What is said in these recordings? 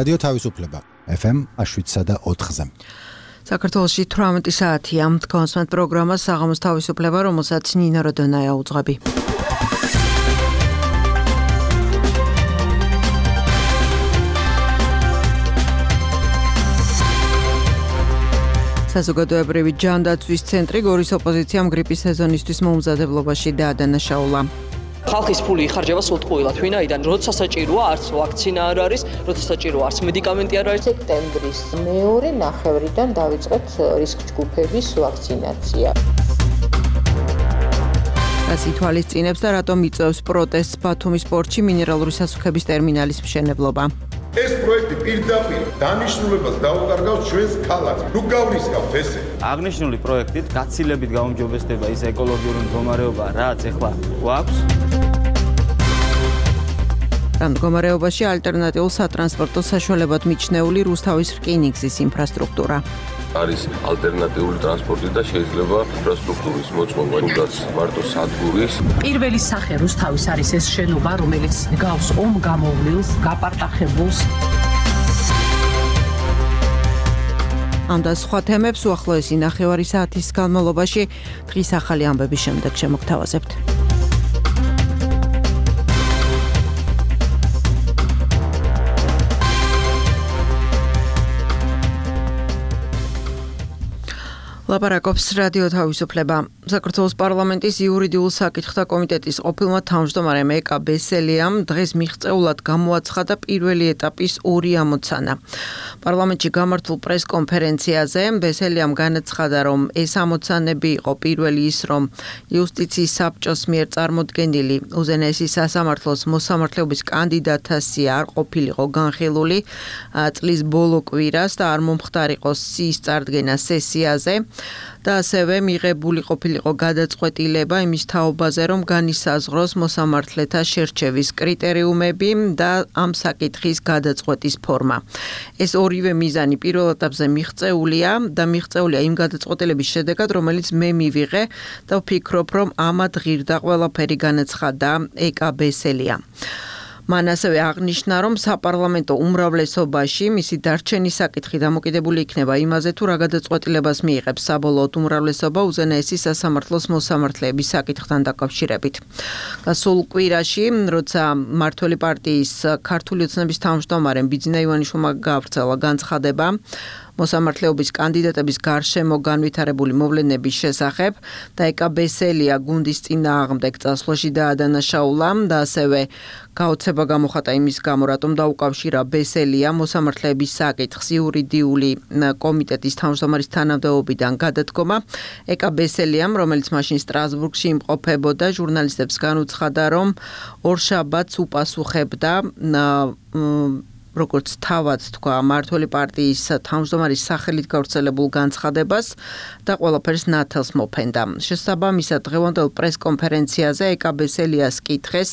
რადიო თავისუფლება FM 7.4-ზე. საქართველოში 18 საათია. თქვენს პროგრამას საღამოს თავისუფლება, რომელსაც ნინა როდონაია უძღვები. საზოგადოებრივი ჯანდაცვის ცენტრი გორის ოპოზიციამ გრიპის სეზონისთვის მომზადებლობაში დაადანაშაულა. ხალხის ფული იხარჯება სულტყუილად, ვინაიდან როცა საჭიროა არც ვაქცინა არ არის, როცა საჭიროა არც მედიკამენტი არ არის. სექტემბრის მეორე ნახევრიდან დავიწყეთ რისკ ჯგუფების ვაქცინაცია. რას ითვალისწინებს და რატომ იწევს პროტესტს ბათუმის პორტში მინერალური სასუქების ტერმინალის მშენებლობა? ეს პროექტი პირდაპირ დანიშნულებას დაუკარგავს ჩვენს ქალაქს. ნუ გავრისკავთ ესე. აღნიშნული პროექტით გაცილებით გაუმჯობესდება ის ეკოლოგიური მდგომარეობა, რაც ახლა გვაქვს. ამ მდგომარეობაში ალტერნატიულ სატრანსპორტო საშუალებად მიჩნეული რუსთავის რკინიგზის ინფრასტრუქტურა. არის ალტერნატიული ტრანსპორტი და შეიძლება ინფრასტრუქტურის მოწყობა, თუნდაც მარტო სადგურის. პირველი სახე რუსთავის არის ეს შენობა, რომელიც გავს ომ გამოვლილს, გაპარტახებულს. ამ და სხვა თემებს უახლოესი ნახევარი საათის განმავლობაში დღის ახალი ამბების შემდეგ შემოგთავაზებთ. ლაპარაკობს რადიო თავისუფლება. საქართველოს პარლამენტის იურიდიულ საკითხთა კომიტეტის ყოფილმა თავმჯდომარემ ეკა ბესელიამ დღეს მიღწეულად გამოაცხადა პირველი ეტაპის 2 ამოცანა. პარლამენტში გამართულ პრესკონფერენციაზე ბესელიამ განაცხადა, რომ ეს ამოცანები იყო პირველი ის, რომ იუსტიციის საბჭოს მიერ წარმოდგენილი უზენაესი სასამართლოს მოსამართლეობის კანდიდატთა სია არ ყოფილიყო განხილული წლის ბოლო კვირას და არ მომხდარიყო სიის წარდგენა სესიაზე. და ასევე მიღებული ყოფილიყო გადაწყვეტილება იმის თაობაზე, რომ განისაზღვროს მოსამართლეთა შერჩევის კრიტერიუმები და ამ საკითხის გადაწყვეტის ფორმა. ეს ორივე მიზანი პირველ ეტაპზე მიღწეულია და მიღწეულია იმ გადაწყვეტილების შედეგად, რომელიც მე მივიღე და ვფიქრობ, რომ ამად ღირდა ყველაფერი, განაცხადა ეკა ბესელია. მან ასევე აღნიშნა, რომ საპარლამენტო უმრავლესობაში მისი დარჩენის საკითხი დამოკიდებული იქნება იმაზე, თუ რა გადაწყვეტილებას მიიღებს საბოლოოდ უმრავლესობა უზენაესი სასამართლოს მოსამართლეების საკითხთან დაკავშირებით. გასულ კვირაში, როცა მმართველი პარტიის ქართული ოცნების თავმჯდომარემ ბიძინა ივანიშვილმა გაავრცელა განცხადება მოსამართლეობის კანდიდატების გარშემო განვითარებული მოვლენების შესახებ და ეკა ბესელია გუნდის წინააღმდეგ წასვლაში დაადანაშაულა და ასევე გაოცება გამოხატა იმის გამო, რატომ დაუკავშირა ბესელია მოსამართლეების საკითხს იურიდიული კომიტეტის თავმჯდომარის თანამდებობიდან გადადგომა. ეკა ბესელიამ, რომელიც მაშინ სტრასბურგში იმყოფებოდა, ჟურნალისტებს განუცხადა, რომ ორშაბათს უპასუხებდა როგორც თავად თქვა მმართველი პარტიის თავმჯდომარის სახელით გავრცელებულ განცხადებას და ყველაფერს ნათელს მოფენდა. შესაბამისად, დღევანდელ პრესკონფერენციაზე ეკა ბესელიას კითხეს,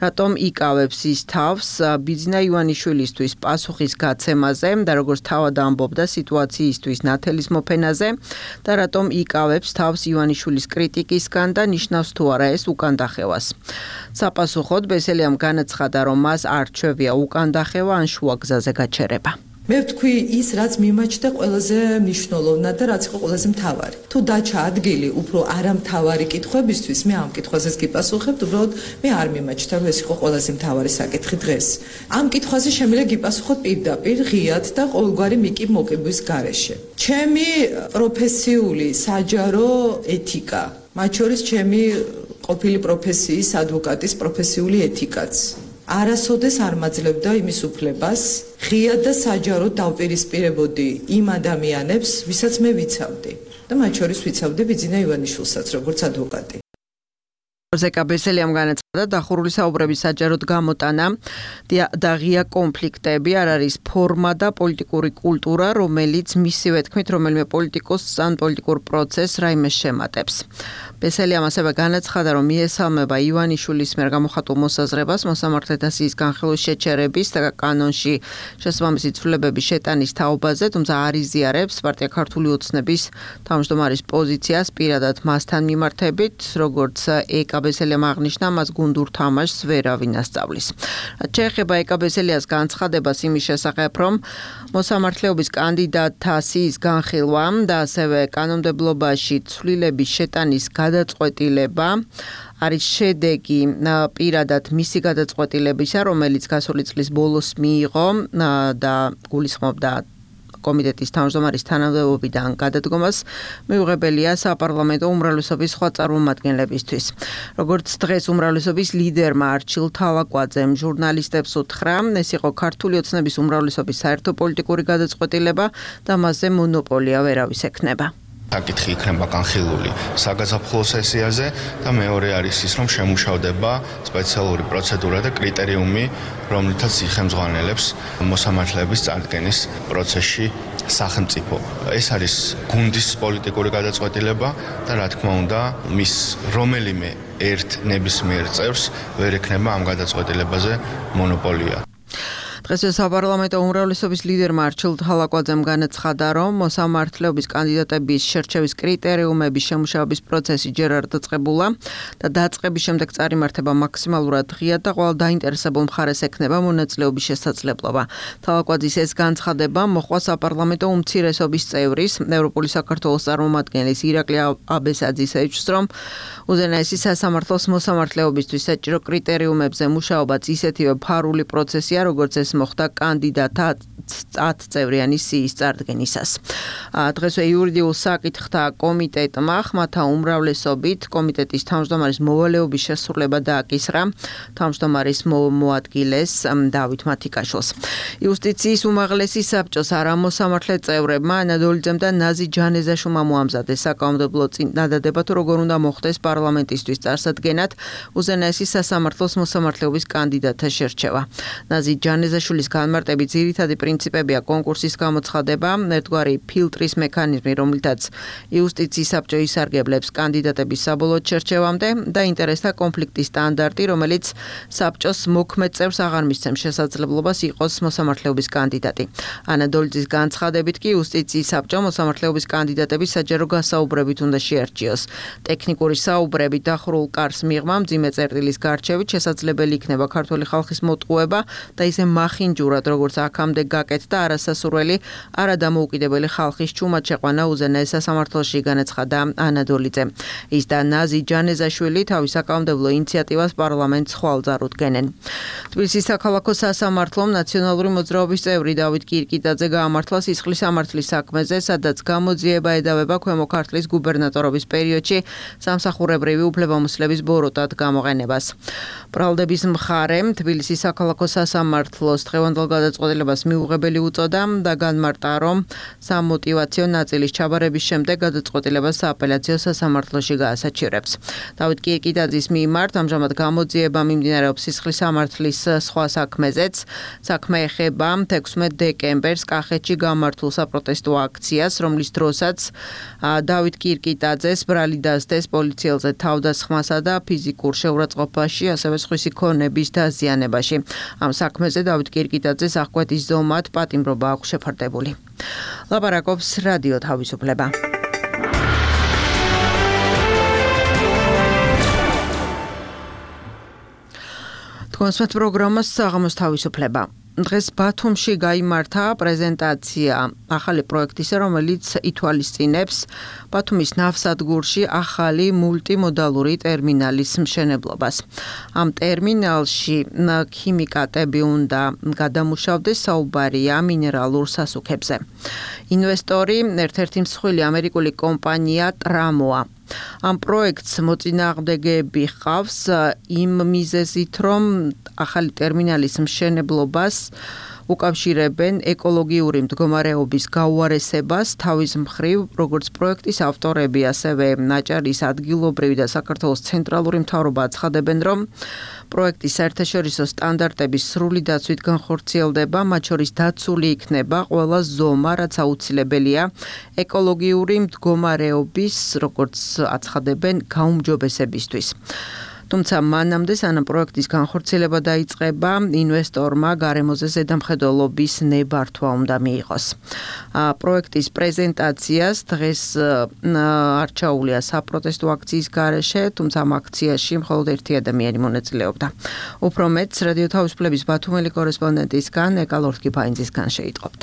რატომ იკავებს ის თავს ბიძინა ივანიშვილისთვის პასუხის გაცემაზე და როგორც თავად ამბობდა სიტუაციისთვის ნათელის მოფენაზე და რატომ იკავებს თავს ივანიშვილის კრიტიკისგან და ნიშნავს თუ არა ეს უკანდახევას. საპასუხოდ ბესელიამ განაცხადა, რომ მას არ რჩევია უკანდახევა ან შუა გზაზე გაჩერება. მე ვთქვი ის, რაც მიმაჩნდა ყველაზე მნიშვნელოვნად და რაც იყო ყველაზე მთავარი. თუ დაჩა ადგილი უფრო არამთავარი კითხვებისთვის, მე ამ კითხვაზეც გიპასუხებთ, უბრალოდ მე არ მიმაჩნდა, რომ ეს იყო ყველაზე მთავარი საკითხი დღეს. ამ კითხვაზე შემიძლია გიპასუხოთ პირდაპირ, ღიად და ყოველგვარი მიკი მოკების გარეშე. ჩემი პროფესიული საჯარო ეთიკა, მათ შორის ჩემი ყოფილი პროფესიის ადვოკატის პროფესიული ეთიკაც არასოდეს არ მაძლევდა იმის უფლებას, ღიად და საჯაროდ დავპირისპირებოდი იმ ადამიანებს, ვისაც მე ვიცავდი. და მათ შორის ვიცავდი ბიძინა ივანიშვილსაც, როგორც ადვოკატი. ეკა ბესელიამ განაცხადა, დახურული საუბრების საჯაროდ გამოტანა და ღია კონფლიქტები არ არის ფორმა და პოლიტიკური კულტურა, რომელიც მისივე თქმით რომელიმე პოლიტიკოსს ან პოლიტიკურ პროცესს რაიმე შემატებს. ბესელიამ ასევე განაცხადა, რომ მიესალმება ივანიშვილის მიერ გამოხატულ მოსაზრებას მოსამართლეთა სიის განხილვის შეჩერების და კანონში შესაბამისი ცვლილებების შეტანის თაობაზე, თუმცა არ იზიარებს პარტია ქართული ოცნების თავმჯდომარის პოზიციას პირადად მასთან მიმართებით, როგორც ეკა ბესელიამ აღნიშნა, მას გუნდურ თამაშს ვერავინ ასწავლის. რაც შეეხება ეკაბესელიას განცხადებას იმის შესახებ, რომ მოსამართლეობის კანდიდატთა სიის განხილვა და ასევე კანონმდებლობაში ცვლილების შეტანის გადაწყვეტილება არის შედეგი პირადად მისი გადაწყვეტილებისა, რომელიც გასული წლის ბოლოს მიიღო და გულისხმობდა კომიტეტის თავმჯდომარის თანამდებობიდან გადადგომას, მიუღებელია საპარლამენტო უმრავლესობის სხვა წარმომადგენლებისთვის. როგორც დღეს უმრავლესობის ლიდერმა არჩილ თალაკვაძემ ჟურნალისტებს უთხრა, ეს იყო ქართული ოცნების უმრავლესობის საერთო პოლიტიკური გადაწყვეტილება და მასზე მონოპოლია ვერავის ექნება. საკითხი იქნება განხილული საგაზაფხულო სესიაზე და მეორე არის ის, რომ შემუშავდება სპეციალური პროცედურა და კრიტერიუმი, რომლითაც იხელმძღვანელებს მოსამართლეების წარდგენის პროცესში სახელმწიფო. ეს არის გუნდის პოლიტიკური გადაწყვეტილება და რა თქმა უნდა, მის რომელიმე ერთ ნებისმიერ წევრს ვერ ექნება ამ გადაწყვეტილებაზე მონოპოლია. დღეს საპარლამენტო უმრავლესობის ლიდერმა არჩილ თალაკვაძემ განაცხადა, რომ მოსამართლეობის კანდიდატების შერჩევის კრიტერიუმების შემუშავების პროცესი ჯერ არ დაწყებულა და დაწყების შემდეგ წარიმართება მაქსიმალურად ღია და ყველა დაინტერესებულ მხარეს ექნება მონაწილეობის შესაძლებლობა. თალაკვაძის ეს განცხადება მოჰყვა საპარლამენტო უმცირესობის წევრის, ევროპული საქართველოს წარმომადგენლის ირაკლი აბესაძისეvichs, რომ უზენაესი სასამართლოს მოსამართლეობისთვის საჭირო კრიტერიუმებზე მუშაობაც ისეთივე ფარული პროცესია, როგორც ეს მოხდა კანდიდატთა 10 წევრიანი სიის წარდგენისას. დღესვე იურიდიულ საკითხთა კომიტეტმა ხმათა უმრავლესობით კომიტეტის თავმჯდომარის მოვალეობის შესრულება დააკისრა თავმჯდომარის მოადგილეს დავით მათიკაშვილს. იუსტიციის უმაღლესი საბჭოს არამოსამართლე წევრებმა ანადოლიძემ და ნაზი ჯანეზაშვილმა მოამზადეს საკანონმდებლო წინადადება, თუ როგორ უნდა მოხდეს პარლამენტისთვის წარსადგენად უზენაესი სასამართლოს მოსამართლეობის კანდიდატთა შერჩევა. ნაზი ჯანეზაშვილის განმარტებით ძირითადი პრინციპებია კონკურსის გამოცხადება, ერთგვარი ფილტრის მექანიზმი, რომლითაც იუსტიციის საბჭო ისარგებლებს კანდიდატების საბოლოო შერჩევამდე და ინტერესთა კონფლიქტის სტანდარტი, რომელიც საბჭოს მოქმედ წევრს აღარ მისცემს შესაძლებლობას იყოს მოსამართლეობის კანდიდატი. ანადოლიძის განცხადებით კი იუსტიციის საბჭო მოსამართლეობის კანდიდატების საჯარო გასაუბრებით უნდა შეარჩიოს. ტექნიკური საუბრებით დახურულ კარს მიღმა მძიმე წერტილის გარჩევით შესაძლებელი იქნება ქართული ხალხის მოტყუება და ისე მახინჯურად, როგორც აქამდე გაკეთდა არასასურველი, არადამოუკიდებელი ხალხის ჩუმად შეყვანა უზენაეს სასამართლოში, განაცხადა ანადოლიძე. ის და ნაზი ჯანეზაშვილი თავის საკანონმდებლო ინიციატივას პარლამენტს ხვალ-ძარ უდგენენ. თბილისის საქალაქო სასამართლომ ნაციონალური მოძრაობის წევრი დავით კირკიტაძე გაამართლა სისხლის სამართლის საქმეზე, სადაც გამოძიება ედავება ქვემო ქართლის გუბერნატორობის პერიოდში სამსახურებრივი უფლებამოსილების ბოროტად გამოყენებას. ბრალდების მხარემ თბილისის საქალაქო სასამართლოს დღევანდელ გადაწყვეტილებას მიუღებელი უწოდა და განმარტა, რომ სამოტივაციო ნაწილის ჩაბარების შემდეგ გადაწყვეტილებას სააპელაციო სასამართლოში გაასაჩივრებს. დავით კირკიტაძის მიმართ ამჟამად გამოძიება მიმდინარეობს სისხლის სამართლის სხვა საქმეზეც. საქმე ეხება 16 დეკემბერს კახეთში გამართულ საპროტესტო აქციას, რომლის დროსაც დავით კირკიტაძეს ბრალი დასდეს პოლიციელზე თავდასხმასა და ფიზიკურ შეურაცხყოფაში, ასევე სხვისი ქონების დაზიანებაში. ამ საქმეზე დავით კირკიტაძეს აღკვეთის ზომად პატიმრობა აქვს შეფარდებული. ლაპარაკობს რადიო თავისუფლება. თქვენს პროგრამას საღამოს თავისუფლება. დღეს ბათუმში გაიმართა პრეზენტაცია ახალი პროექტისა, რომელიც ითვალისწინებს ბათუმის ნავსადგურში ახალი მულტიმოდალური ტერმინალის მშენებლობას. ამ ტერმინალში ქიმიკატები უნდა გადამუშავდეს, საუბარია მინერალურ სასუქებზე. ინვესტორი ერთ-ერთი მსხვილი ამერიკული კომპანია ტრამოა. ამ პროექტს მოწინააღმდეგეები ჰყავს იმ მიზეზით, რომ ახალი ტერმინალის მშენებლობას უკავშირებენ ეკოლოგიური მდგომარეობის გაუარესებას, თავის მხრივ, როგორც პროექტის ავტორები, ასევე ნაჭარის ადგილობრივი და საქართველოს ცენტრალური მთავრობა აცხადებენ, რომ პროექტის საერთაშორისო სტანდარტების სრული დაცვით განხორციელდება, მათ შორის დაცული იქნება ყველა ზომა, რაც აუცილებელია ეკოლოგიური მდგომარეობის, როგორც აცხადებენ, გაუმჯობესებისთვის. თუმცა მანამდე სანამ პროექტის განხორციელება დაიწყება, ინვესტორმა გარემოზე ზედამხედველობის ნებართვა უნდა მიიღოს. პროექტის პრეზენტაციას დღეს არჩეულია საპროტესტო აქციის გარეშე, თუმცა ამ აქციაში მხოლოდ ერთი ადამიანი მონაწილეობდა. უფრო მეტს რადიო თავისუფლების ბათუმელი კორესპონდენტისგან ეკალორთკიფაინძისგან შეიტყობთ.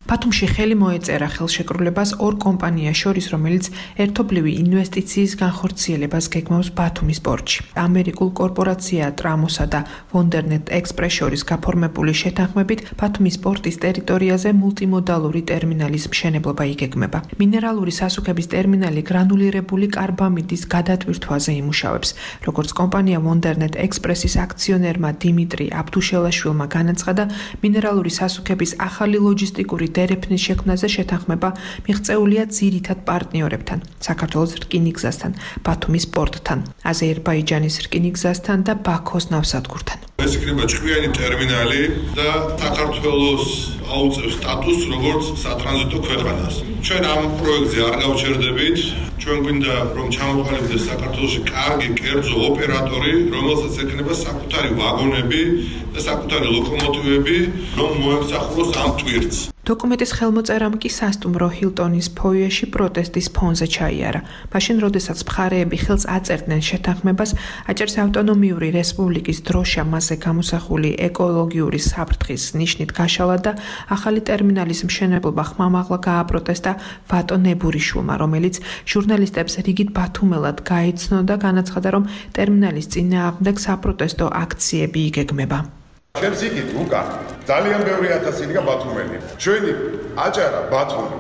ბათუმში ხელი მოეწერა ხელშეკრულებას ორ კომპანიას შორის, რომელიც ერთობლივი ინვესტიციის განხორციელებას გეგმავს ბათუმის პორტში. ამერიკულ კორპორაცია ტრამოსა და ვონდერნეტ ექსპრეს შორის გაფორმებული შეთანხმებით ბათუმის პორტის ტერიტორიაზე მულტიმოდალური ტერმინალის მშენებლობა იგეგმება. მინერალური სასუქების ტერმინალი გრანულირებული კარბამიდის გადატვირთვაზე იმუშავებს. როგორც კომპანია ვონდერნეტ ექსპრესის აქციონერმა დიმიტრი აბდუშელაშვილმა განაცხადა, მინერალური სასუქების ახალი ლოჯისტიკური დერეფნის შექმნაზე შეთანხმება მიღწეულია ძირითად პარტნიორებთან, საქართველოს რკინიგზასთან, ბათუმის პორტთან, აზერბაიჯანის რკინიგზასთან და ბაქოს ნავსადგურთან. ეს იქნება ჭკვიანი ტერმინალი და საქართველოს აუწევს სტატუსს როგორც სატრანზიტო ქვეყანას. ჩვენ ამ პროექტზე არ გავჩერდებით, ჩვენ გვინდა რომ ჩამოყალიბდეს საქართველოში კარგი კერძო ოპერატორი, რომელსაც ექნება საკუთარი ვაგონები და საკუთარი ლოკომოტივები, რომ მოემსახუროს ამ ტვირთს. დოკუმენტის ხელმოწერამ კი სასტუმრო ჰილტონის ფოიეში პროტესტის ფონზე ჩაიარა. მაშინ, როდესაც მხარეები ხელს აწერდნენ შეთანხმებას, აჭარის ავტონომიური რესპუბლიკის დროშა მასზე გამოსახული ეკოლოგიური საფრთხის ნიშნით გაშალა და ახალი ტერმინალის მშენებლობა ხმამაღლა გააპროტესტა ვატო ნებურიშვილმა, რომელიც ჟურნალისტებს რიგით ბათუმელად გაიცნო და განაცხადა, რომ ტერმინალის წინააღმდეგ საპროტესტო აქციები იგეგმება. ჩემს იქით უკა ძალიან ბევრი ათასი იდგა ბათუმელი. ჩვენი აჭარა ბათუმი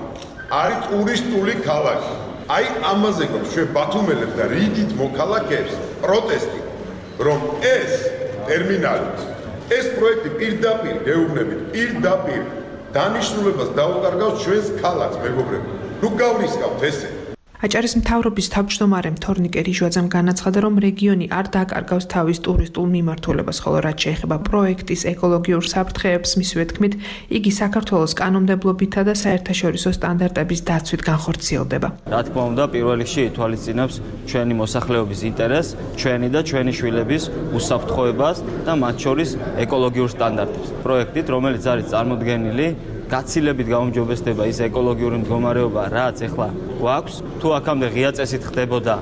არის ტურისტული ქალაქი. აი ამაზე გვაქვს ჩვენ ბათუმელებს და რიგით მოქალაქეებს პროტესტი, რომ ეს ტერმინალი, ეს პროექტი პირდაპირ გეუბნებით, პირდაპირ დანიშნულებას დაუკარგავს ჩვენს ქალაქს, მეგობრებო. ნუ გავრისკავთ ესე. აჭარის მთავრობის თავმჯდომარემ თორნიკე რიჟვაძემ განაცხადა, რომ რეგიონი არ დაკარგავს თავის ტურისტულ მიმართულებას, ხოლო რაც შეეხება პროექტის ეკოლოგიურ საფრთხეებს, მისივე თქმით, იგი საქართველოს კანონმდებლობითა და საერთაშორისო სტანდარტების დაცვით განხორციელდება. რა თქმა უნდა, პირველ რიგში ითვალისწინებს ჩვენი მოსახლეობის ინტერესს, ჩვენი და ჩვენი შვილების უსაფრთხოებას და მათ შორის ეკოლოგიურ სტანდარტებს. პროექტით, რომელიც არის წარმოდგენილი გაცილებით გაუმჯობესდება ის ეკოლოგიური მდგომარეობა, რაც ახლა გვაქვს. თუ აქამდე ღია წესით ხდებოდა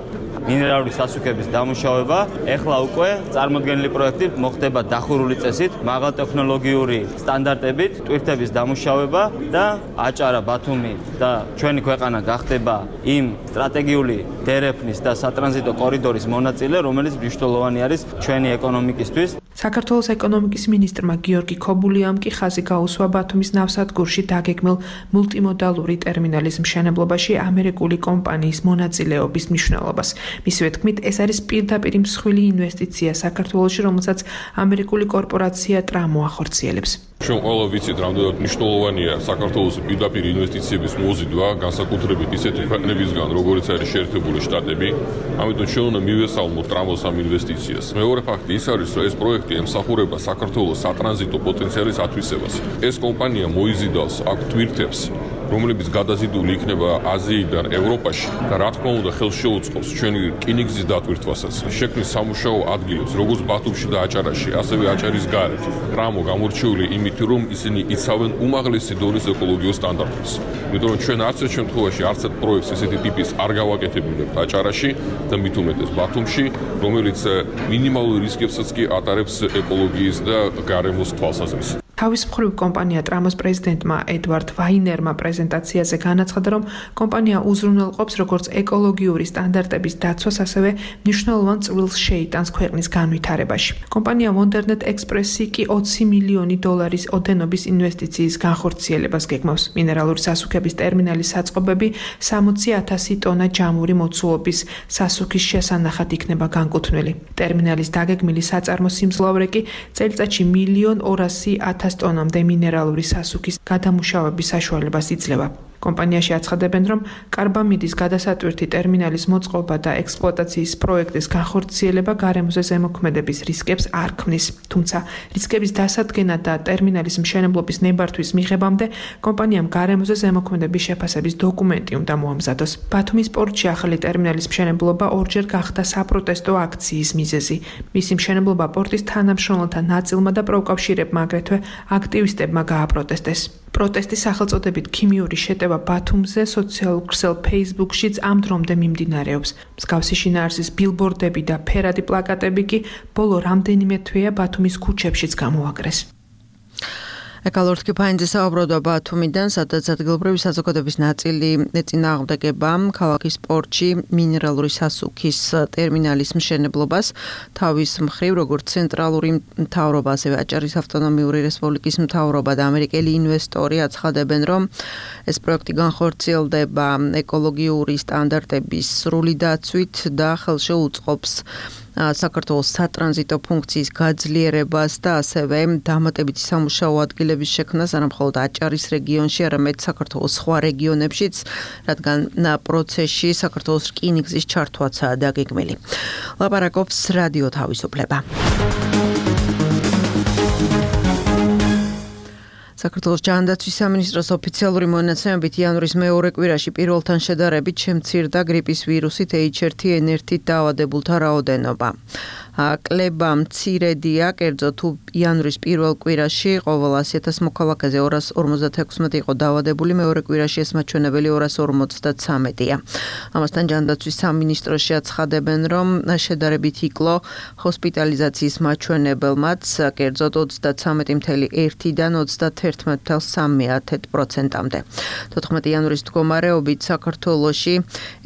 მინერალური სასუქების დამუშავება, ახლა უკვე წარმოდგენილი პროექტი მოხდება დახურული წესით, მაღალტექნოლოგიური სტანდარტებით, ტვირთების დამუშავება და აჭარა, ბათუმი და ჩვენი ქვეყანა გახდება იმ სტრატეგიული დერეფნის და სატრანზიტო კორიდორის მონაწილე, რომელიც მნიშვნელოვანი არის ჩვენი ეკონომიკისთვის. საქართველოს ეკონომიკის მინისტრმა გიორგი ქობულიამ კი ხაზი გაუსვა ბათუმის ნავსადგურში დაგეგმილ მულტიმოდალური ტერმინალის მშენებლობაში ამერიკული კომპანიის მონაწილეობის მნიშვნელობას. მისივე თქმით, ეს არის პირდაპირ მსხვილი ინვესტიცია საქართველოში, რომელსაც ამერიკული კორპორაცია ტრამო ახორციელებს. ჩვენ ყველა ვიცით, რამდენად მნიშვნელოვანია საქართველოს პირდაპირ ინვესტიციების მოზიდვა, განსაკუთრებით ისეთი ქვეყნებისგან, როგორიც არის შეერთებული შტატები. ამიტომ ჩვენ უნდა მივესალმოთ ტრამოს ამ ინვესტიციას. მეორე ფაქტი ის არის, რომ ეს პროექტი ემსახურება საქართველოს სატრანზიტო პოტენციალის ათვისებას. ეს კომპანია მოიზიდავს აქ ტვირთებს, რომლებიც გადაზიდული იქნება აზიიდან ევროპაში და რა თქმა უნდა ხელს შეუწყობს ჩვენი რკინიგზის დატვირთვასაც. შექმნის სამუშაო ადგილებს, როგორც ბათუმში და აჭარაში, ასევე აჭარის გარეთ. ტრამო გამორჩეული იმით, რომ ისინი იცავენ უმაღლესი დონის ეკოლოგიურ სტანდარტებს. იმიტომ რომ ჩვენ არც ერთ შემთხვევაში არც ერთ პროექტს ესეთი ტიპის არ გავაკეთებინებთ აჭარაში და მით უმეტეს ბათუმში, რომელიც მინიმალურ რისკებსაც კი ატარებს ეკოლოგიის და გარემოს თვალსაზრისით. თავის მხრივ კომპანია ტრამოს პრეზიდენტმა ედვარდ ვაინერმა პრეზენტაციაზე განაცხადა, რომ კომპანია უზრუნველყოფს როგორც ეკოლოგიური სტანდარტების დაცვას, ასევე მნიშვნელოვან წვლილს შეიტანს ქვეყნის განვითარებაში. კომპანია ვონდერნეტ ექსპრესი კი 20 მილიონი დოლარის ოდენობის ინვესტიციის განხორციელებას გეგმავს. მინერალური სასუქების ტერმინალის საწყობები 60,000 ტონა ჯამური მოცულობის სასუქის შესანახად იქნება განკუთვნილი. ტერმინალის დაგეგმილი საწარმო სიმძლავრე კი წელიწადში 1,200,000 ტონამდე მინერალური სასუქის გადამუშავების საშუალებას იძლევა. კომპანიაში აცხადებენ, რომ კარბამიდის გადასატვირთი ტერმინალის მოწყობა და ექსპლუატაციის პროექტის განხორციელება გარემოზე ზემოქმედების რისკებს არ ქმნის. თუმცა რისკების დასადგენა და ტერმინალის მშენებლობის ნებართვის მიღებამდე კომპანიამ გარემოზე ზემოქმედების შეფასების დოკუმენტი უნდა მოამზადოს. ბათუმის პორტში ახალი ტერმინალის მშენებლობა ორჯერ გახდა საპროტესტო აქციის მიზეზი. მისი მშენებლობა პორტის თანამშრომელთა ნაწილმა და პროუკავშირებმა აგრეთვე აქტივისტებმა გააპროტესტეს. პროტესტის სახელწოდებით ქიმიური შეტევა ბათუმზე სოციალურ ქსელ Facebook-შიც ამ დრომდე მიმდინარეობს. მსგავსი შინაარსის ბილბორდები და ფერადი პლაკატები კი ბოლო რამდენიმე თვეა ბათუმის ქუჩებშიც გამოაკრეს. ეკალორთკი ფაინძე საუბრობდა ბათუმიდან, სადაც ადგილობრივი საზოგადოების ნაწილი ეწინააღმდეგება ქალაქის პორტში მინერალური სასუქის ტერმინალის მშენებლობას. თავის მხრივ, როგორც ცენტრალური მთავრობა, ასევე აჭარის ავტონომიური რესპუბლიკის მთავრობა და ამერიკელი ინვესტორი აცხადებენ, რომ ეს პროექტი განხორციელდება ეკოლოგიური სტანდარტების სრული დაცვით და ხელში უწყობს საქართველოს სატრანზიტო ფუნქციის გაძლიერებას და ასევე დამატებითი სამუშაო ადგილების შექმნას არა მხოლოდ აჭარის რეგიონში, არამედ საქართველოს სხვა რეგიონებშიც, რადგან პროცესში საქართველოს რკინიგზის ჩართვაცაა დაგეგმილი. ლაპარაკობს რადიო თავისუფლება. საქართველოს ჯანდაცვის სამინისტროს ოფიციალური მონაცემებით იანვრის მეორე კვირაში პირველთან შედარებით შემცირდა გრიპის ვირუსით H1N1-ით დაავადებულთა რაოდენობა. კლება მცირედია, კერძოდ თუ იანვრის პირველ კვირაში ყოველ 100,000 მოქალაქეზე 256 იყო დაავადებული, მეორე კვირაში ეს მაჩვენებელი 253-ია. ამასთან ჯანდაცვის სამინისტროში აცხადებენ, რომ შედარებით იკლო ჰოსპიტალიზაციის მაჩვენებელმაც, კერძოდ 33.1-დან 31.3%-მდე. 14 იანვრის მდგომარეობით საქართველოში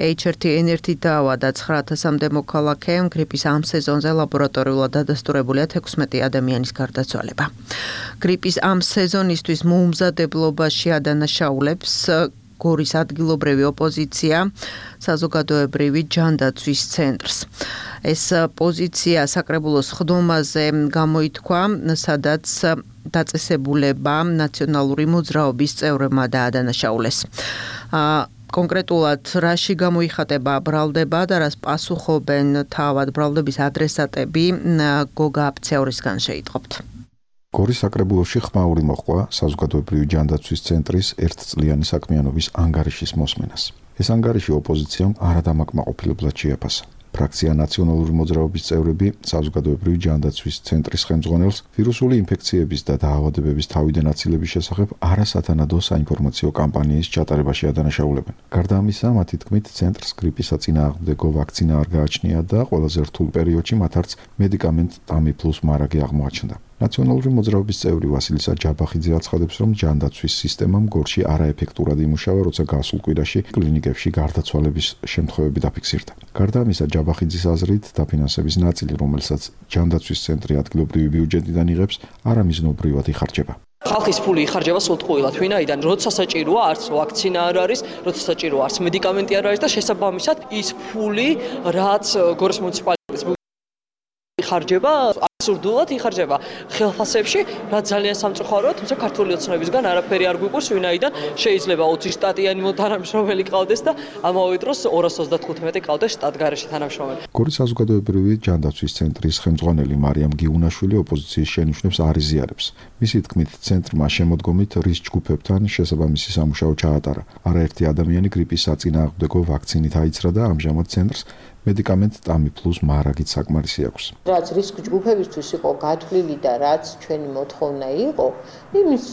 H1N1-ით დაავადა 9,000-მდე მოქალაქე, გრიპის ამ სეზონზე ლაბორატორიულად დადასტურებულია 16 ადამიანის გარდაცვალება. გრიპის ამ სეზონისთვის მოუმზადებლობაში ადანაშაულებს გორის ადგილობრივი ოპოზიცია საზოგადოებრივი ჯანდაცვის ცენტრს. ეს პოზიცია საკრებულოს ხდომაზე გამოითქვა, სადაც დაწესებულება ნაციონალური მოძრაობის წევრებმა დაადანაშაულეს. კონკრეტულად რაში გამოიხატება ბრალდება და რას პასუხობენ თავად ბრალდების ადრესატები, გოგა აფცეორისგან შეიტყობთ. გორის საკრებულოში ხმაური მოჰყვა საზოგადოებრივი ჯანდაცვის ცენტრის ერთწლიანი საქმიანობის ანგარიშის მოსმენას. ეს ანგარიში ოპოზიციამ არადამაკმაყოფილებლად შეაფასა. ფრაქცია ნაციონალური მოძრაობის წევრები საზოგადოებრივი ჯანდაცვის ცენტრის ხელმძღვანელს ვირუსული ინფექციების და დაავადებების თავიდან აცილების შესახებ არასათანადო საინფორმაციო კამპანიის ჩატარებაში ადანაშაულებენ. გარდა ამისა, მათი თქმით, ცენტრს გრიპის საწინააღმდეგო ვაქცინა არ გააჩნია და ყველაზე რთულ პერიოდში მათ არც მედიკამენტ ტამიფლუს მარაგი აღმოაჩნდა. ნაციონალური მოძრაობის წევრი ვასილისა ჯაბახიძე აცხადებს, რომ ჯანდაცვის სისტემამ გორში არაეფექტურად იმუშავა, როცა გასულ კვირაში კლინიკებში გარდაცვალების შემთხვევები დაფიქსირდა. გარდა ამისა, ჯაბახიძის აზრით, დაფინანსების ნაწილი, რომელსაც ჯანდაცვის ცენტრი ადგილობრივი ბიუჯეტიდან იღებს, არამიზნობრივად იხარჯება. ხალხის ფული იხარჯება სულტყუილად, ვინაიდან როცა საჭიროა არც ვაქცინა არ არის, როცა საჭიროა არც მედიკამენტი არ არის და შესაბამისად ის ფული, რაც გორის მუნიციპალიტეტის იხარჯება, აბსურდულად იხარჯება ხელფასებში, რაც ძალიან სამწუხაროა, თუმცა ქართული ოცნებისგან არაფერი არ გვიყვარს, ვინაიდან შეიძლება 20 შტატიანი თანამშრომელი ყავდეს და ამავე დროს 235 ყავდეს შტატგარეშე თანამშრომელი. გორის საზოგადოებრივი ჯანდაცვის ცენტრის ხელმძღვანელი მარიამ გიუნაშვილი ოპოზიციის შენიშვნებს არ იზიარებს. მისი თქმით, ცენტრმა შემოდგომით რის ჯგუფებთან შესაბამისი სამუშაო ჩაატარა. არაერთი ადამიანი გრიპის საწინააღმდეგო ვაქცინით აიცრა და ამჟამად ცენტრს მედიკამენტ ტამიფლუს მარაგით საკმარისი აქვს. რაც რისკ ჯგუფებისთვის იყო გათვლილი და რაც ჩვენი მოთხოვნა იყო, იმის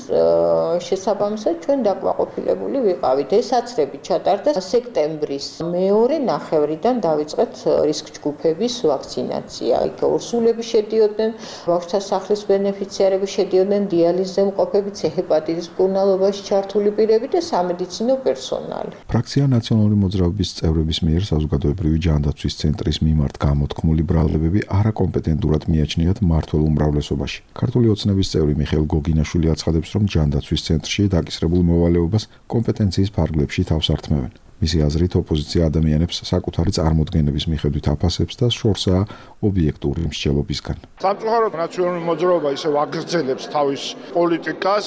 შესაბამისად ჩვენ დაკვაყოფილებული ვიყავით. ეს აცრები ჩატარდა სექტემბრის მეორე ნახევრიდან დავიწყეთ რისკ ჯგუფების ვაქცინაცია. იქ ორსულები შედიოდნენ, ბავშვთა სახლის ბენეფიციარები შედიოდნენ, დიალიზზე მყოფები, ჰეპატიტის მკურნალობაში ჩართული პირები და სამედიცინო პერსონალი. ფრაქცია ნაციონალური მოძრაობის წევრების მიერ საზოგადოებრივი ჯანდაცვის ცენტრის მიმართ გამოთქმული ბრალდებები არაკომპეტენტურად მიაჩნიათ მმართველ უმრავლესობაში. ქართული ოცნების წევრი მიხეილ გოგინაშვილი აცხადებს, რომ ჯანდაცვის ცენტრში დაკისრებულ მოვალეობას კომპეტენციის ფარგლებში თავს ართმევენ. მისი აზრით, ოპოზიცია ადამიანებს საკუთარი წარმოდგენების მიხედვით აფასებს და შორსაა ობიექტური მსჯელობისგან. სამწუხაროდ ნაციონალური მოძრაობა ისევ აგრძელებს თავის პოლიტიკას,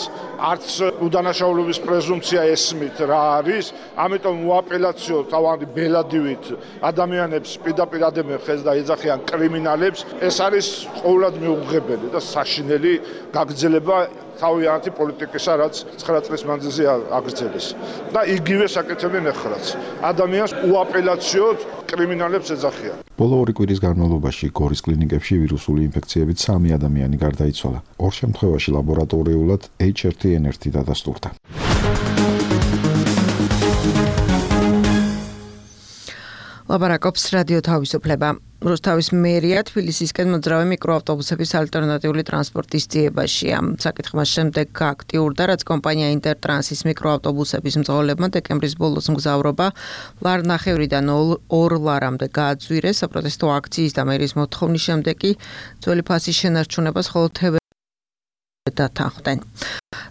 არც უდანაშაულობის პრეზუმპცია ესმით რა არის, ამიტომ უაპელაციო თავადი ბელადივით ადამიანებს პირდაპირ ადემენ და ეძახიან კრიმინალებს, ეს არის ყოველად მიუღებელი და საშინელი გაგრძელება თავიანთი პოლიტიკისა, რაც 9 წლის მანძილზე აგრძელეს. და იგივე საკეთებენ ახლაც. ადამიანს უაპელაციოდ კრიმინალებს ეძახიან. ბოლო 2 კვირის განმავლობაში გორის კლინიკებში ვირუსული ინფექციებით 3 ადამიანი გარდაიცვალა. 2 შემთხვევაში ლაბორატორიულად H1N1 დადასტურდა. ლაპარაკობს რადიო თავისუფლება. რუსთავის მერია თბილისისკენ მოძრავი მიკროავტობუსების ალტერნატიული ტრანსპორტის ძიებაშია. საკითხმას შემდეგ გააქტიურდა, რაც კომპანია ინტერტრანსის მიკროავტობუსების მძღოლებმა დეკემბრის ბოლოს მგზავრობა ლარნახევრიდან 2 ლარამდე გააძვირეს. საპროტესტო აქციის და მერიის მოთხოვნის შემდეგ კი ძველი ფასის შენარჩუნებას მხოლოდ დათანხმდნენ.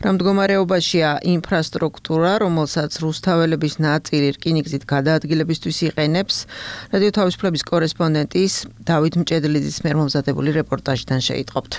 რა მდგომარეობაშია ინფრასტრუქტურა, რომელსაც რუსთაველების ნაწილი რკინიგზით გადაადგილებისთვის იყენებს, რადიო თავისუფლების კორესპონდენტის დავით მჭედლიძის მიერ მომზადებული რეპორტაჟიდან შეიტყობთ.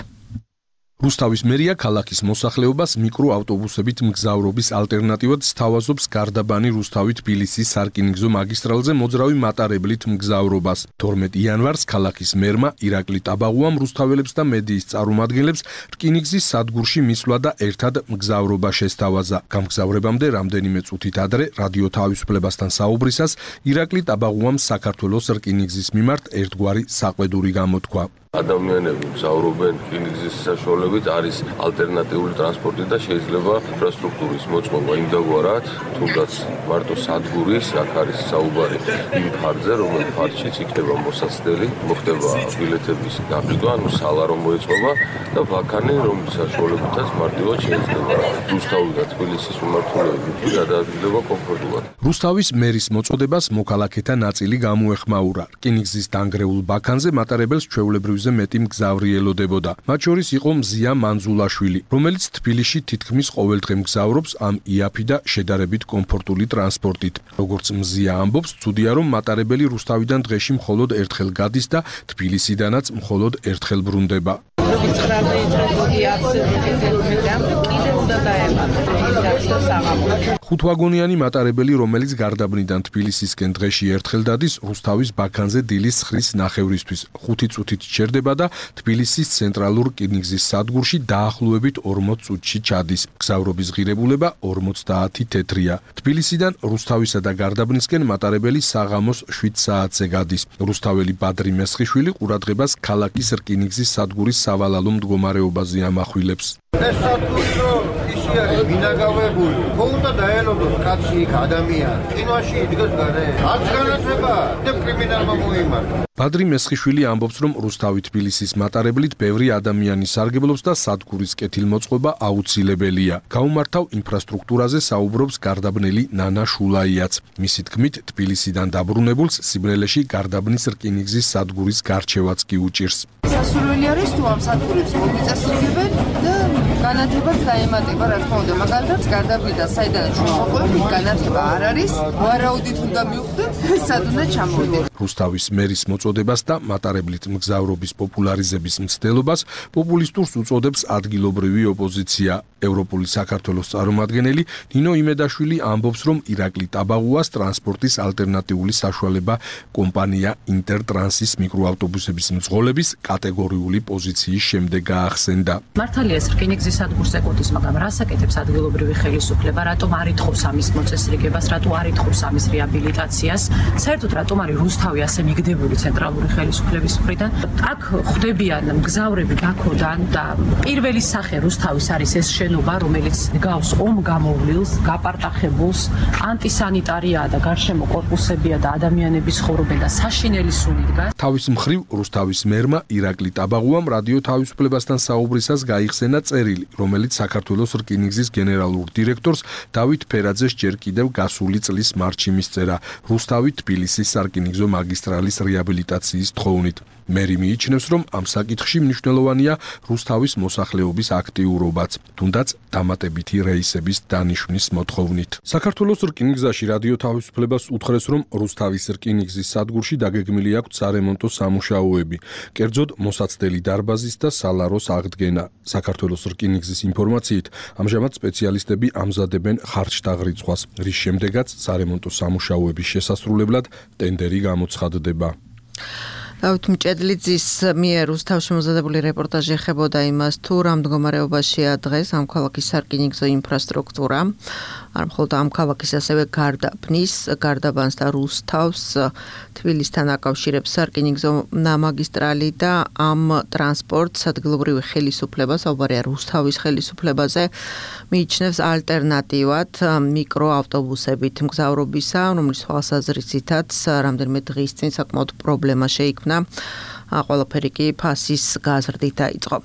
რუსთავის მერია ქალაქის მოსახლეობას მიკროავტობუსებით მგზავრობის ალტერნატივად სთავაზობს გარდაბანი რუსთავი-თბილისის სარკინიგზო მაგისტრალზე მოძრავი მატარებლით მგზავრობას. 12 იანვარს ქალაქის მერმა ირაკლი ტაბაღუამ რუსთაველებს და მედიის წარმომადგენლებს რკინიგზის სადგურში მისვლა და ერთად მგზავრობა შესთავაზა. გამგზავრებამდე რამდენიმე წუთით ადრე რადიო თავისუფლებასთან საუბრისას ირაკლი ტაბაღუამ საქართველოს რკინიგზის მიმართ ერთგვარი საყვედური გამოთქვა. ადამიანები მგზავრობენ რკინიგზის საშუალებით, არის ალტერნატიული ტრანსპორტი და შეიძლება ინფრასტრუქტურის მოწყობა იმდაგვარად, თუნდაც მარტო სადგურის, აქ არის საუბარი იმ ფარზე, რომელიც ფარშიც იქნება მოსაცდელი, მოხდება ბილეთების გაყიდვა, ანუ სალარო მოეწყობა და ბაქანი, რომლის საშუალებითაც მარტივად შეიძლება რუსთავი და თბილისის მიმართულებით გადაადგილება კომფორტულად. რუსთავის მერის მოწოდებას მოქალაქეთა ნაწილი გამოეხმაურა. რკინიგზის დანგრეულ ბაქანზე მატარებელს ჩვეულებრივ მეტი მგზავრი ელოდებოდა. მათ შორის იყო მზია მანზულაშვილი, რომელიც თბილისში თითქმის ყოველდღე მგზავრობს ამ იაფი და შედარებით კომფორტული ტრანსპორტით. როგორც მზია ამბობს, ცუდია რომ მატარებელი რუსთავიდან დღეში მხოლოდ ერთხელ გადის და თბილისიდანაც მხოლოდ ერთხელ ბრუნდება. ხუთვაგონიანი მატარებელი, რომელიც გარდაბნიდან თბილისისკენ დღეში ერთხელ დადის, რუსთავის ბაქანზე დილის 9-ის ნახევრისთვის 5 წუთით ჩერდება და თბილისის ცენტრალურ რკინიგზის სადგურში დაახლოებით 40 წუთში ჩადის. მგზავრობის ღირებულება 50 თეთრია. თბილისიდან რუსთავისა და გარდაბნისკენ მატარებელი საღამოს 7 საათზე გადის. რუსთაველი ბადრი მესხიშვილი ყურადღებას ქალაქის რკინიგზის სადგურის სავალალო მდგომარეობაზე ამახვილებს. ეს სადგურო ისი არის მინაგავებული. ხონდა დაელოდოს კაცი იქ ადამიანი. კინოში იდგეს გარე. არც განათება და კრიმინალმა მოიმართა. ბადრი მესხიშვილი ამბობს, რომ რუსთავი-თბილისის მატარებლით ბევრი ადამიანი სარგებლობს და სადგურის კეთილმოწყობა აუცილებელია. გაუმართავ ინფრასტრუქტურაზე საუბრობს გარდაბნელი ნანა შულაიაც. მისი თქმით, თბილისიდან დაბრუნებულს სიბნელეში გარდაბნის რკინიგზის სადგურის გარჩევაც კი უჭირს. სასურველი არის თუ ამ სადგურებს მოგიწესრიგებენ და განათებაც დაემატება, რა თქმა უნდა, მაგალითად გარდაბნიდან საიდანაც მოყვებით, განათება არ არის, ვარაუდით უნდა მივხვდეთ, სად უნდა ჩამოვიდეთ. რუსთავის მერის მოწოდებას და მატარებლით მგზავრობის პოპულარიზების მცდელობას პოპულისტურს უწოდებს ადგილობრივი ოპოზიცია. ევროპული საქართველოს წარმომადგენელი ნინო იმედაშვილი ამბობს, რომ ირაკლი ტაბაღუას ტრანსპორტის ალტერნატიული საშუალება კომპანია ინტერტრანსის მიკროავტობუსების მძღოლების კატეგორიული პოზიციის შემდეგ გაახსენდა. მართალია ეს რკინიგზის სადგურს ეკუთვნის, მაგრამ რას აკეთებს ადგილობრივი ხელისუფლება, რატომ არ ითხოვს ამის მოწესრიგებას, რატომ არ ითხოვს ამის რეაბილიტაციას, საერთოდ რატომ არის რუსთავი ასე მიგდებული ცენტრალური ხელისუფლების მხრიდან. აქ ხვდებიან მგზავრები ბაქოდან და პირველი სახე რუსთავის არის ეს შენობა, რომელიც გავს ომ გამოვლილს, გაპარტახებულს, ანტისანიტარია და გარშემო კორპუსებია და ადამიანები ცხოვრობენ და საშინელი სუნი დგას. თავის მხრივ რუსთავის მერმა ირაკლი ტაბაღუამ რადიო თავისუფლებასთან საუბრისას გაიხსენა წერილი, რომელიც საქართველოს რკინიგზის გენერალურ დირექტორს დავით ფერაძეს ჯერ კიდევ გასული წლის მარტში მისწერა რუსთავი-თბილისის სარკინიგზო მაგისტრალის რეაბილიტაციის თხოვნით. მერი მიიჩნევს, რომ ამ საკითხში მნიშვნელოვანია რუსთავის მოსახლეობის აქტიურობაც, თუნდაც დამატებითი რეისების დანიშვნის მოთხოვნით. საქართველოს რკინიგზაში რადიო თავისუფლებას უთხრეს, რომ რუსთავის რკინიგზის სადგურში დაგეგმილი აქვს სარემონტო სამუშაოები, კერძოდ მოსაცდელი დარბაზის და სალაროს აღდგენა. საქართველოს რკინიგზის ინფორმაციით, ამჟამად სპეციალისტები ამზადებენ ხარჯთაღრიცხვას, რის შემდეგაც სარემონტო სამუშაოების შესასრულებლად ტენდერი გამოცხადდება. დავით მჭედლიძის მიერ რუსთავში მომზადებული რეპორტაჟი ეხებოდა იმას, თუ რა მდგომარეობაშია დღეს ამ ქალაქის სარკინიგზო ინფრასტრუქტურა. არ მხოლოდ ამ ქალაქის, ასევე გარდაბნის, გარდაბანს და რუსთავს თბილისთან აკავშირებს სარკინიგზო მაგისტრალი და ამ ტრანსპორტს ადგილობრივი ხელისუფლება, საუბარია რუსთავის ხელისუფლებაზე, მიიჩნევს ალტერნატივად მიკროავტობუსებით მგზავრობისა, რომლის თვალსაზრისითაც რამდენიმე დღის წინ საკმაოდ პრობლემა შეიქმნა. ყველაფერი კი ფასის გაზრდით დაიწყო.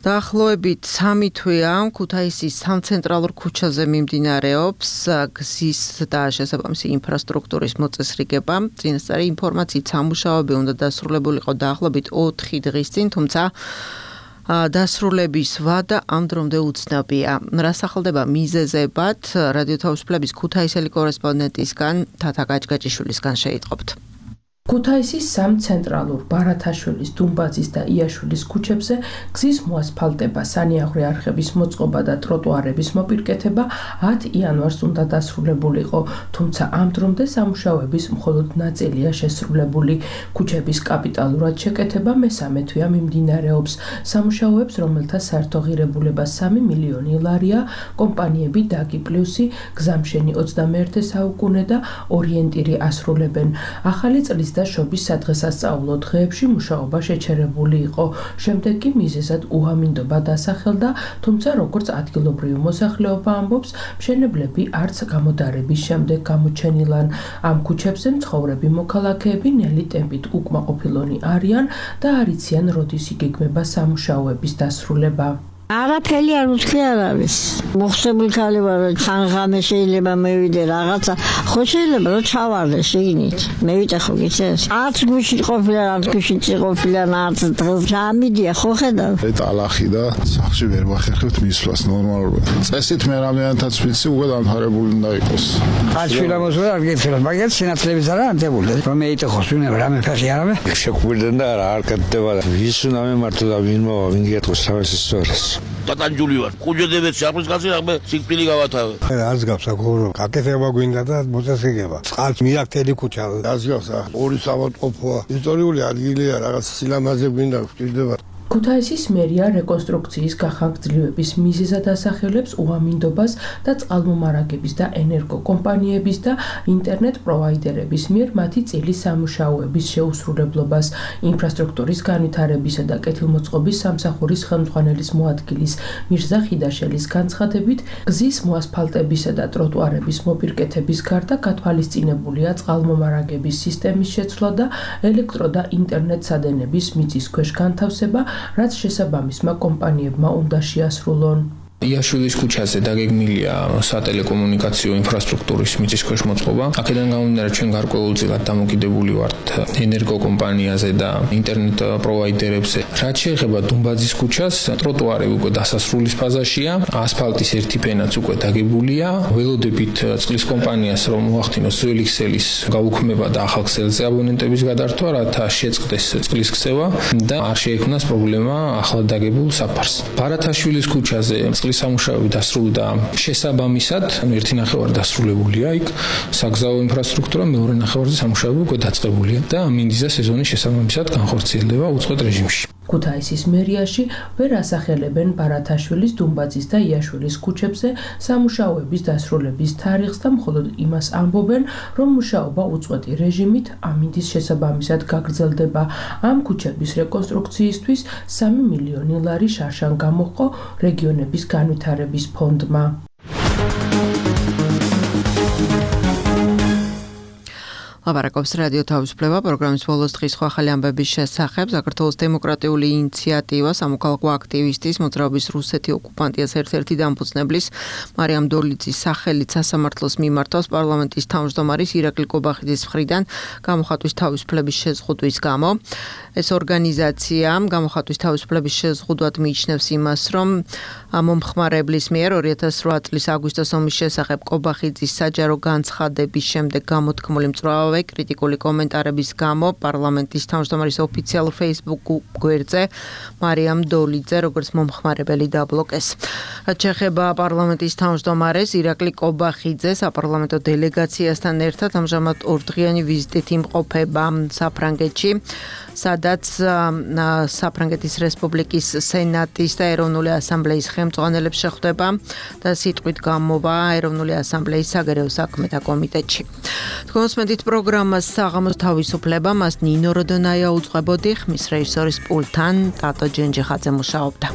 დაახლოებით 3 თვეა ქუთაისის სამცენტრალურ ქუჩაზე მიმდინარეობს გზის და შესაბამისი ინფრასტრუქტურის მოწესრიგება. წინასწარი ინფორმაციით სამუშაოები უნდა დასრულებულიყო დაახლოებით 4 დღის წინ, თუმცა დასრულების ვადა ამ დრომდე უცნობია. რა სახელდება მიზეზებად, რადიო თავისუფლების ქუთაისელი კორესპონდენტისგან თათა გაჭგაჭიშვილისგან შეიტყობთ. ქუთაისის სამცენტრალურ ბარათაშვილის, დუმბაძის და იაშვილის ქუჩებზე გზის მოასფალტება, სანიაღვრე არხების მოწყობა და ტროტუარების მოპირკეთება 10 იანვარს უნდა დასრულებულიყო, თუმცა ამ დრომდე სამუშაოების მხოლოდ ნაწილია შესრულებული. ქუჩების კაპიტალურად შეკეთება მესამე თვეა მიმდინარეობს. სამუშაოებს, რომელთა საერთო ღირებულება 3 მილიონი ლარია, კომპანიები დაგი პლუსი, გზამშენი 21 საუკუნე და ორიენტირი ასრულებენ. ახალი წლის და შობის სადღესასწაულო დღეებში მუშაობა შეჩერებული იყო. შემდეგ კი მიზეზად უამინდობა დასახელდა, თუმცა როგორც ადგილობრივი მოსახლეობა ამბობს, მშენებლები არც გამოდარების შემდეგ გამოჩენილან. ამ ქუჩებზე მცხოვრები მოქალაქეები ნელი ტემპით უკმაყოფილონი არიან და არ იციან როდის იგეგმება სამუშაოების დასრულება. არაფერი არ უთქი არ არის. მოხსებული ქალი ვარ, ხანღამე შეიძლება მევიდე რაღაცა. ხო შეიძლება რომ ჩავარდე შიგნით. მევიდე ხო გიცეს? არც გუშინ ყოფილა, არც გუშინ ყოფილა, არც დღეს გამიდია, ხო ხედავ? ტალახი და სახში ვერ ვახერხებთ მისვლას ნორმალურად. წესით მე რამიანთაც ვიცი, უკვე დამთავრებული უნდა იყოს. ხალხილა მოსვლა არ გეცელა, მაგრამ სინათლების არა ანტებული. რომ მეიტე ხო სუნა რამე ფასი არა? შეკვირდნენ და არ კეთდება. ვის უნდა მემართო და ვინ მოვა, ვინ გეტყვის თავის ისტორიას. დატანჯული ვარ. კუჯედებით შაფრის კაცი რამე სიკპილი გავათავე. არც გაფსაკურო, გაკეთება გვინდა და მოწესრიგება. წყალს მირაქტელი ქუჩა. არც გახსა, ორი საავადმყოფოა. ისტორიული ადგილია, რაღაც სილამაზე გვინდა, გვჭირდება. ქუთაისის მერია რეკონსტრუქციის გახანგრძლივების მიზეზად ასახელებს უამინდობას და წყალმომარაგების და ენერგოკომპანიების და ინტერნეტ პროვაიდერების მიერ მათი წილის სამუშაოების შეუსრულებლობას. ინფრასტრუქტურის განვითარებისა და კეთილმოწყობის სამსახურის ხელმძღვანელის მოადგილის მირზა ხიდაშელის განცხადებით, გზის მოასფალტებისა და ტროტუარების მოპირკეთების გარდა გათვალისწინებულია წყალმომარაგების სისტემის შეცვლა და ელექტრო და ინტერნეტ სადენების მიწის ქვეშ განთავსება, რაც შესაბამისმა კომპანიებმა უნდა შეასრულონ. იაშვილის ქუჩაზე დაგეგმილია სატელეკომუნიკაციო ინფრასტრუქტურის მიწისქვეშ მოწყობა. აქედან გამომდინარე, ჩვენ გარკვეულწილად დამოკიდებული ვართ ენერგოკომპანიაზე და ინტერნეტ პროვაიდერებზე. რაც შეეხება დუმბაძის ქუჩას, ტროტუარები უკვე დასასრულის ფაზაშია, ასფალტის ერთი ფენაც უკვე დაგებულია. ველოდებით წყლის კომპანიას რომ მოახდინოს ძველი ქსელის გაუქმება და ახალ ქსელზე აბონენტების გადართვა, რათა შეწყდეს წყლის ქცევა და არ შეექმნას პრობლემა ახლად დაგებულ საფარს. ბარათაშვილის ქუჩაზე სამუშაოები დასრულდა შესაბამისად, ერთი ნახევარი დასრულებულია იქ საგზაო ინფრასტრუქტურა, მეორე ნახევარზე სამუშაოები უკვე დაწყებულია და მინდიზა სეზონის შესაბამისად განხორციელდება უწყვეტ რეჟიმში. ქუთაისის მერიაში ვერ ასახელებენ ბარათაშვილის, დუმბაძის და იაშვილის ქუჩებზე სამუშაოების დასრულების თარიღს და მხოლოდ იმას ამბობენ, რომ მუშაობა უწყვეტი რეჟიმით ამინდის შესაბამისად გაგრძელდება. ამ ქუჩების რეკონსტრუქციისთვის 3 მილიონი ლარი შარშან გამოჰყო რეგიონების განვითარების ფონდმა. ლაპარაკობს რადიო თავისუფლება პროგრამის ბოლოს დღის სხვა ახალი ამბების შესახებ. საქართველოს დემოკრატიული ინიციატივა სამოქალაქო აქტივისტის მოძრაობის რუსეთი ოკუპანტიას ერთ-ერთი დამფუძნებლის მარიამ დოლიძის სახელით სასამართლოს მიმართავს პარლამენტის თავმჯდომარის ირაკლი კობახიძის მხრიდან გამოხატვის თავისუფლების შეზღუდვის გამო. ეს ორგანიზაცია გამოხატვის თავისუფლების შეზღუდვად მიიჩნევს იმას, რომ მომხმარებლის მიერ 2008 წლის აგვისტოს ომის შესახებ კობახიძის საჯარო განცხადების შემდეგ გამოთქმული მწვავე კრიტიკული კომენტარების გამო პარლამენტის თავმჯდომარის ოფიციალურ Facebook გვერდზე მარიამ დოლიძე როგორც მომხმარებელი დაბლოკეს. რაც შეეხება პარლამენტის თავმჯდომარეს ირაკლი კობახიძე საპარლამენტო დელეგაციასთან ერთად ამჟამად ორდღიანი ვიზიტით იმყოფება საფრანგეთში, სადაც საფრანგეთის რესპუბლიკის სენატის და ეროვნული ასამბლეის ხელმძღვანელებს შეხვდება და სიტყვით გამოვა ეროვნული ასამბლეის საგარეო საქმეთა კომიტეტში. თქვენსმენთ პროგრამას საღამოს თავისუფლება, მას ნინო როდონაია უძღვებოდი, ხმის რეჟისორის პულტთან ტატო ჯენჯიხაძე მუშაობდა.